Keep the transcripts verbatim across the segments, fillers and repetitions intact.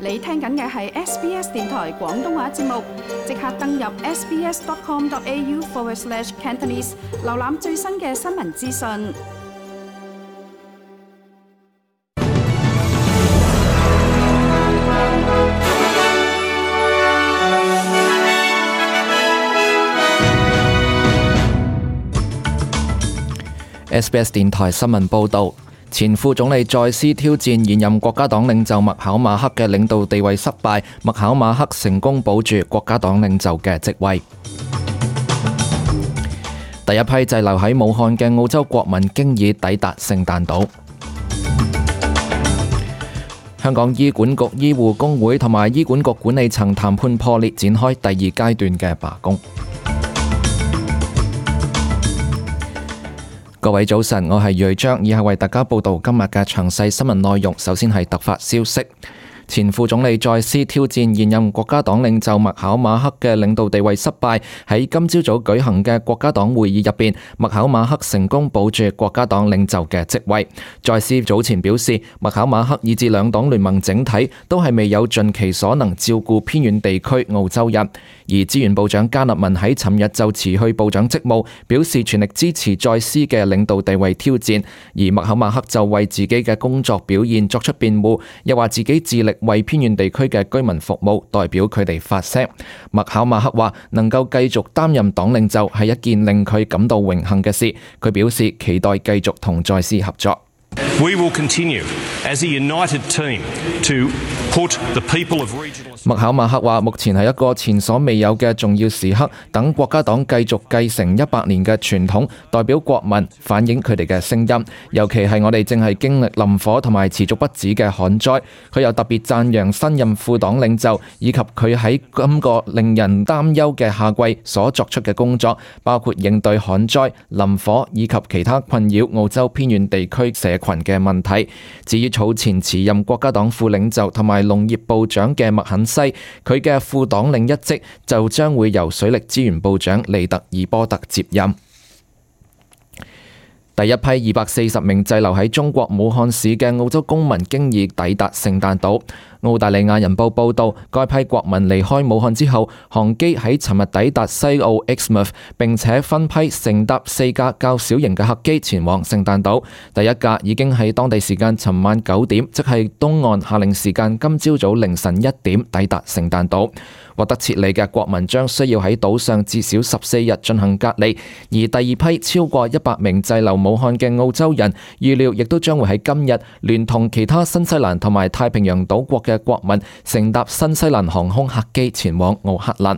你聽緊嘅係 S B S 電台廣東話節目，即刻登入 sbs.com.au forward slash Cantonese， 瀏覽最新嘅新聞資訊。S B S 電台新聞報導，前副總理再斯挑戰現任國家黨領袖麥考馬克嘅領導地位失敗，麥考馬克成功保住國家黨領袖嘅職位。第一批滯留喺武漢嘅澳洲國民經已抵達聖誕島。香港醫管局醫護工會同埋醫管局管理層談判破裂，展開第二階段嘅罷工。各位早晨，我係瑞章，以下為大家報道今日嘅詳細新聞內容。首先係突發消息，前副總理再斯挑戰現任國家黨領袖麥考馬克嘅領導地位失敗。喺今朝早舉行嘅國家黨會議入邊，麥考馬克成功保住國家黨領袖嘅職位。再斯早前表示，麥考馬克以至兩黨聯盟整體都係未有盡其所能照顧偏遠地區澳洲人。而資源部長加納文喺尋日就辭去部長職務，表示全力支持再斯嘅領導地位挑戰。而麥考馬克就為自己嘅工作表現作出辯護，又話自己致力為偏遠地區嘅居民服務，代表佢哋發聲。麥考馬克話能夠繼續擔任黨領袖係一件令佢感到榮幸嘅事，佢表示期待繼續同再斯合作。We will continue as a united team to put the people of regional。麥考馬克話：目前係一個前所未有嘅重要時刻，等國家黨繼續繼承一百年嘅傳統，代表國民反映佢哋嘅聲音。尤其係我哋正係經歷林火同埋持續不止嘅旱災。佢又特別讚揚新任副黨領袖以及佢喺今個令人擔憂嘅夏季所作出嘅工作，包括應對旱災、林火以及其他困擾澳洲偏遠地區社群嘅問題。至於早前辭任國家黨副領袖同埋農業部長嘅麥肯西，佢嘅副黨領一職就將會由水力資源部長利特爾波特接任。第一批二百四十名滯留喺中國武漢市嘅澳洲公民經已抵達聖誕島。澳大利亞人報報導，該批國民離開武漢之後，航機喺尋日抵達西澳 Exmouth， 並且分批乘搭四架較小型嘅客機前往聖誕島。第一架已經喺當地時間尋晚九點，即係東岸夏令時間今朝早凌晨一點抵達聖誕島。獲得撤離嘅國民將需要喺島上至少十四日進行隔離，而第二批超過一百名滯留武漢嘅澳洲人，預料亦都將會喺今日聯同其他新西蘭同埋太平洋島國嘅國民乘搭新西蘭航空客機前往奧克蘭。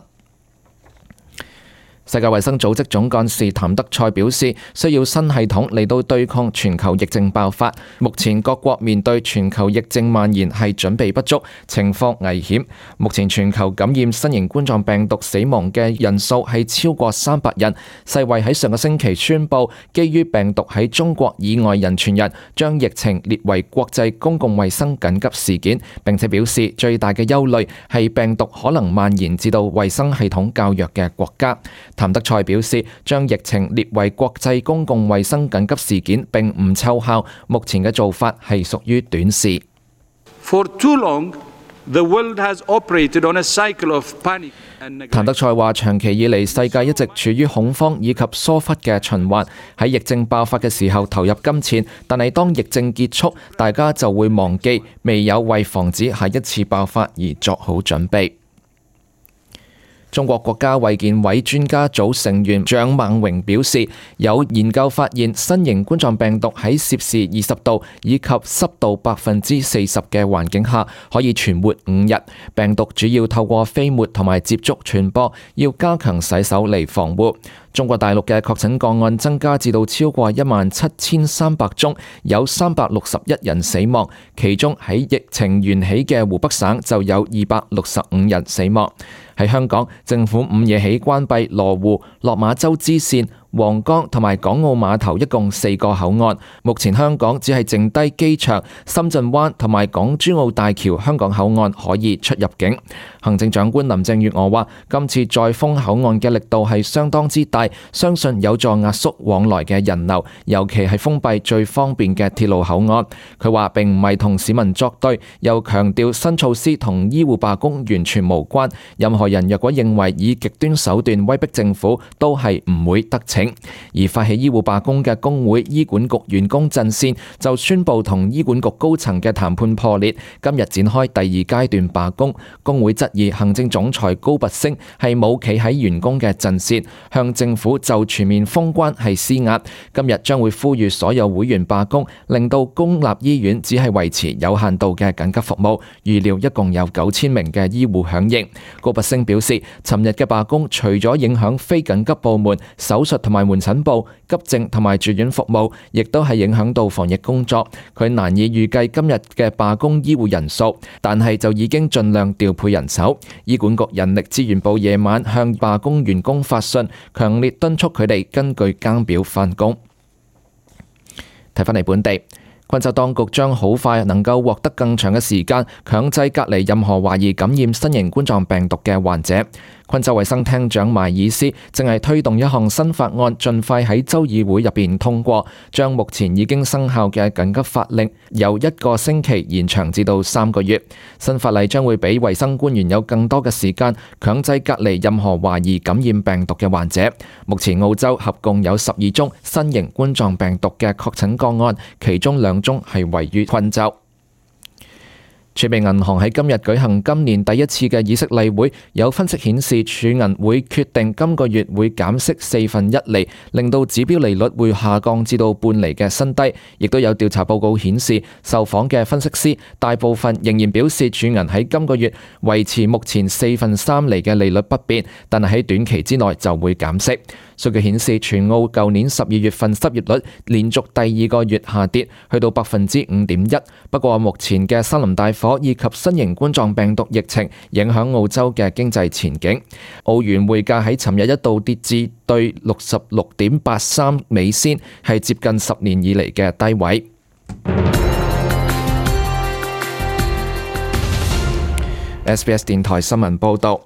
世界衛生組織總幹事譚德塞表示，需要新系統嚟到對抗全球疫症爆發。目前各國面對全球疫症蔓延係準備不足，情況危險。目前全球感染新型冠狀病毒死亡嘅人數係超過三百人。世衛喺上個星期宣布，基於病毒喺中國以外人傳人，將疫情列為國際公共衛生緊急事件，並且表示最大嘅憂慮係病毒可能蔓延至到衛生系統較弱嘅國家。譚德塞表示，將疫情列為國際公共衛生緊急事件並唔奏效，目前嘅做法係屬於短視。For too long, the world has operated on a cycle of panic and neglect. 譚德塞話：長期以嚟，世界一直處於恐慌以及疏忽嘅循環。喺疫症爆發嘅時候投入金錢，但係當疫症結束，大家就會忘記未有為防止下一次爆發而作好準備。中國國家衛健委專家組成員蔣孟榮表示，有研究發現新型冠狀病毒喺攝氏二十度以及濕度百分之四十嘅環境下可以存活五日。病毒主要透過飛沫同埋接觸傳播，要加強洗手嚟防護。中國大陸嘅確診個案增加至到超過一萬七千三百宗，有三百六十一人死亡，其中喺疫情源起嘅湖北省就有二百六十五人死亡。喺香港，政府午夜起關閉羅湖、落馬洲支線、皇崗同埋港澳碼頭一共四個口岸。目前香港只係剩低機場、深圳灣同埋港珠澳大橋香港口岸可以出入境。行政長官林鄭月娥話：今次再封口岸嘅力度係相當之大，相信有助壓縮往來嘅人流，尤其係封閉最方便嘅鐵路口岸。佢話並唔係同市民作對，又強調新措施同醫護罷工完全無關。任何人若果認為以極端手段威逼政府，都係唔會得逞。而發起醫護罷工嘅工會醫管局員工陣線就宣布同醫管局高層嘅談判破裂，今日展開第二階段罷工。工會質疑行政總裁高拔陞係冇企喺員工嘅陣線，向政府就全面封關係施壓。今日將會呼籲所有會員罷工，令到公立醫院只係維持有限度嘅緊急服務。預料一共有九千名嘅醫護響應。高拔陞表示，尋日嘅罷工除咗影響非緊急部門、手術同埋門診部、急症同埋住院服務，亦都係影響到防疫工作。佢難以預計今日嘅罷工醫護人數，但係就已經盡量調配人手。醫管局人力資源部夜晚向罷工員工發信，強烈敦促佢哋根據更表返工。睇返嚟本地，昆州當局將好快能夠獲得更長嘅時間強制隔離任何懷疑感染新型冠狀病毒嘅患者。昆州衛生廳長邁爾斯正係推動一項新法案，盡快喺州議會入邊通過，將目前已經生效嘅緊急法令由一個星期延長至到三個月。新法例將會俾衛生官員有更多嘅時間強制隔離任何懷疑感染病毒嘅患者。目前澳洲合共有十二宗新型冠狀病毒嘅確診個案，其中兩宗係位於昆州。儲備銀行喺今日舉行今年第一次嘅議息例會，有分析顯示儲銀會決定今個月會減息四分一厘，令到指標利率會下降至到半厘嘅新低。亦都有調查報告顯示，受訪嘅分析師大部分仍然表示儲銀喺今個月維持目前四分三厘嘅利率不變，但係喺短期之內就會減息。數據顯示，全澳舊年十二月份失業率連續第二個月下跌，去到百分之五點一。不過目前嘅森林大火以及新型冠狀病毒疫情影響澳洲嘅經濟前景。澳元匯價喺尋日一度跌至對六十六點八三美仙，係接近十年以嚟嘅低位。S B S 電台新聞報導，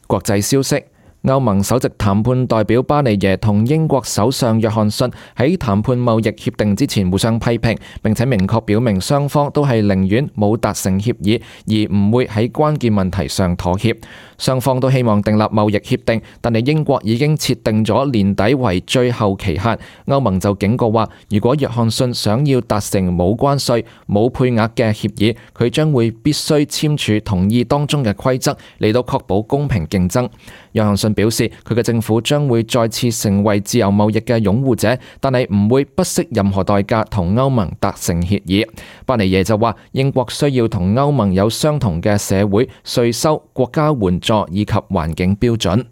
國際消息。歐盟首席談判代表巴尼耶同英國首相約翰遜喺談判貿易協定之前互相批評，並且明確表明雙方都係寧願冇達成協議，而唔會喺關鍵問題上妥協。雙方都希望訂立貿易協定，但係英國已經設定咗年底為最後期限。歐盟就警告話，如果約翰遜想要達成冇關稅、冇配額嘅協議，佢將會必須簽署同意當中嘅規則嚟到確保公平競爭。約翰遜表示，佢嘅政府將會再次成為自由貿易嘅擁護者，但係唔會不惜任何代價同歐盟達成協議。巴尼耶就話，英國需要同歐盟有相同嘅社會、稅收、國家援助以及環境標準。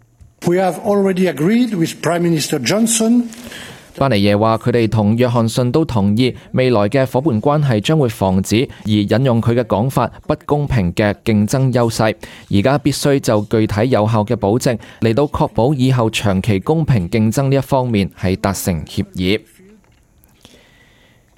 We have already agreed with Prime Minister Johnson。巴尼耶話：佢哋同約翰遜都同意未來嘅夥伴關係將會防止，而引用佢嘅講法，不公平嘅競爭優勢。而家必須就具體有效嘅保證嚟到確保以後長期公平競爭呢一方面係達成協議。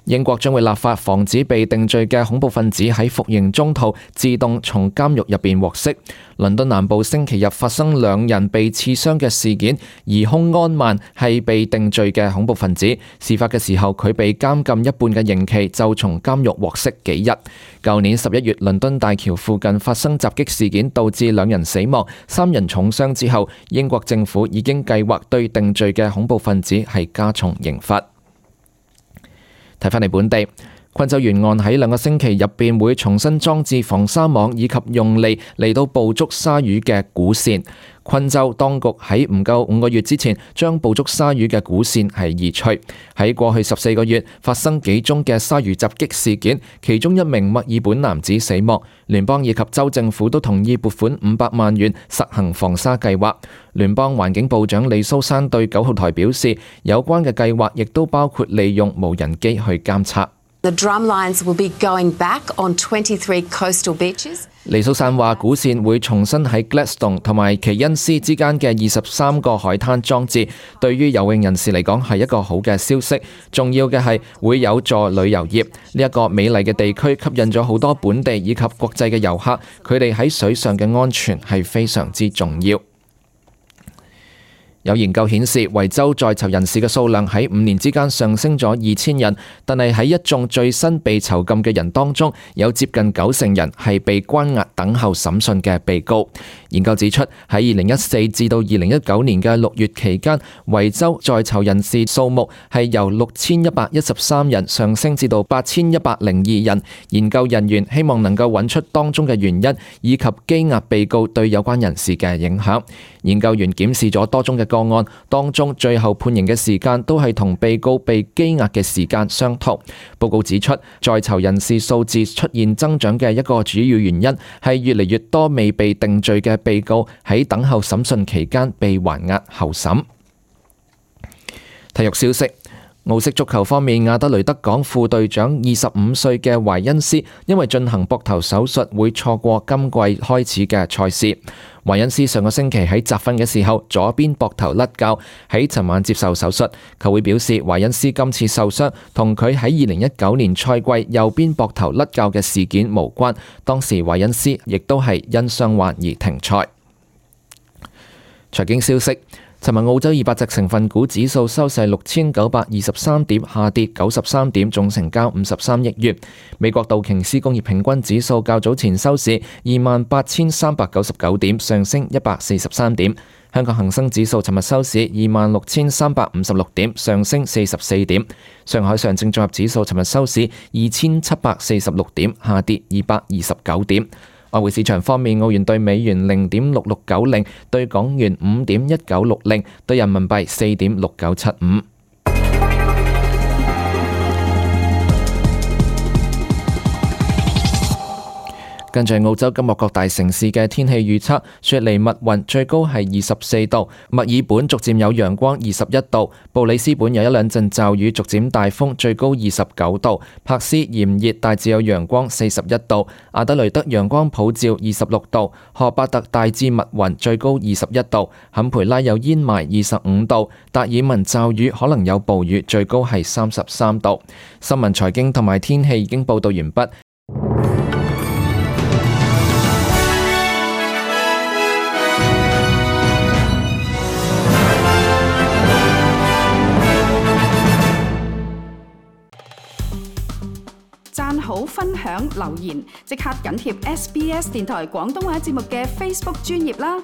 英國將會立法防止被定罪嘅恐怖分子喺服刑中途自動從監獄入邊獲釋。倫敦南部星期日發生兩人被刺傷嘅事件，疑兇安曼係被定罪嘅恐怖分子。事發嘅時候，佢被監禁一半嘅刑期就從監獄獲釋幾日。舊年十一月，倫敦大橋附近發生襲擊事件，導致兩人死亡、三人重傷之後，英國政府已經計劃對定罪嘅恐怖分子係加重刑罰。睇返嚟本地，昆州沿岸喺兩個星期入邊會重新裝置防沙網以及用嚟嚟到捕捉鯊魚嘅鼓線。昆州當局喺唔夠五個月之前將捕捉鯊魚嘅鼓線係移除。喺過去十四個月發生幾宗嘅鯊魚襲擊事件，其中一名墨爾本男子死亡。聯邦以及州政府都同意撥款五百萬元實行防鯊計劃。聯邦環境部長李蘇珊對九號台表示，有關嘅計劃亦都包括利用無人機去監測。The drumlines will be going back on twenty-three coastal beaches. 黎素散話，古線會重新喺 Gladstone 同埋奇恩斯之間嘅二十三個海灘裝置，對於游泳人士嚟講係一個好嘅消息。重要嘅係會有助旅遊業。呢一個美麗嘅地區吸引咗好多本地以及國際嘅遊客，佢哋喺水上嘅安全係非常之重要。有研究顯示，維州在囚人士嘅數量喺五年之間上升咗二千人，但係喺一眾最新被囚禁嘅人當中，有接近九成人係被關押等候審訊嘅被告。研究指出，喺二零一四至到二零一九年嘅六月期間，維州在囚人士數目係由六千一百一十三人上升至到八千一百零二人。研究人員希望能夠揾出當中嘅原因，以及羈押被告對有關人士嘅影響。研究員檢視咗多宗嘅個案，當中最後判刑嘅時間都係同被告被羈押嘅時間相同。報告指出，在囚人士數字出現增長嘅一個主要原因係越嚟越多未被定罪嘅被告喺等候審訊期間被還押候審。體育消息。澳式足球方面，亞德雷德港副隊長二十五歲嘅懷恩斯因為進行膊頭手術，會錯過今季開始嘅賽事。懷恩斯上個星期喺集訓嘅時候，左邊膊頭甩臼，喺尋晚接受手術。球會表示，懷恩斯今次受傷同佢喺二零一九年賽季右邊膊頭甩臼嘅事件無關，當時懷恩斯亦都係因傷患而停賽。財經消息。尋日澳洲二百隻成分股指數收市六千九百二十三點，下跌九十三點，總成交五十三億元。美國道瓊斯工業平均指數較早前收市二萬八千三百九十九點，上升一百四十三點。香港恒生指數尋日收市二萬六千三百五十六點，上升四十四點。上海上證綜合指數尋日收市二千七百四十六點，下跌二百二十九點。外匯市場方面，澳元對美元零點六六九零，對港元五點一九六零，對人民幣四點六九七五。跟住澳洲今日各大城市嘅天氣預測：雪梨密雲，最高係二十四度；墨爾本逐漸有陽光，二十一度；布里斯本有一兩陣驟雨，逐漸大風，最高二十九度；珀斯炎熱，大致有陽光，四十一度；阿德雷德陽光普照，二十六度；荷伯特大致密雲，最高二十一度；坎培拉有煙霾，二十五度；達爾文驟雨，可能有暴雨，最高係三十三度。新聞、財經同埋天氣已經報道完畢。讚好、分享、留言，即刻緊貼 S B S 電台廣東話節目嘅 Facebook 專頁啦！